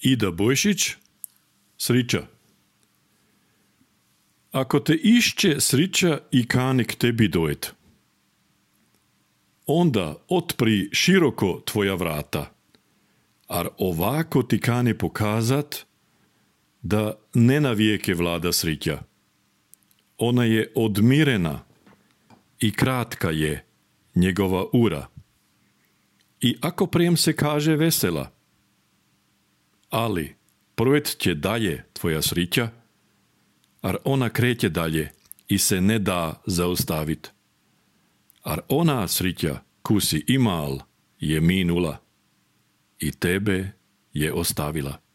Ida Bojšić, srića. Ako te išće srića i kane k tebi dojet, onda otpri široko tvoja vrata, ar ovako ti kane pokazat da ne na vijeke vlada srića. Ona je odmirena i kratka je njegova ura. I ako prijem se kaže vesela, ali projet će dalje tvoja srića, ar ona kreće dalje i se ne da zaustavit. Ar ona srića kusi imal je minula i tebe je ostavila.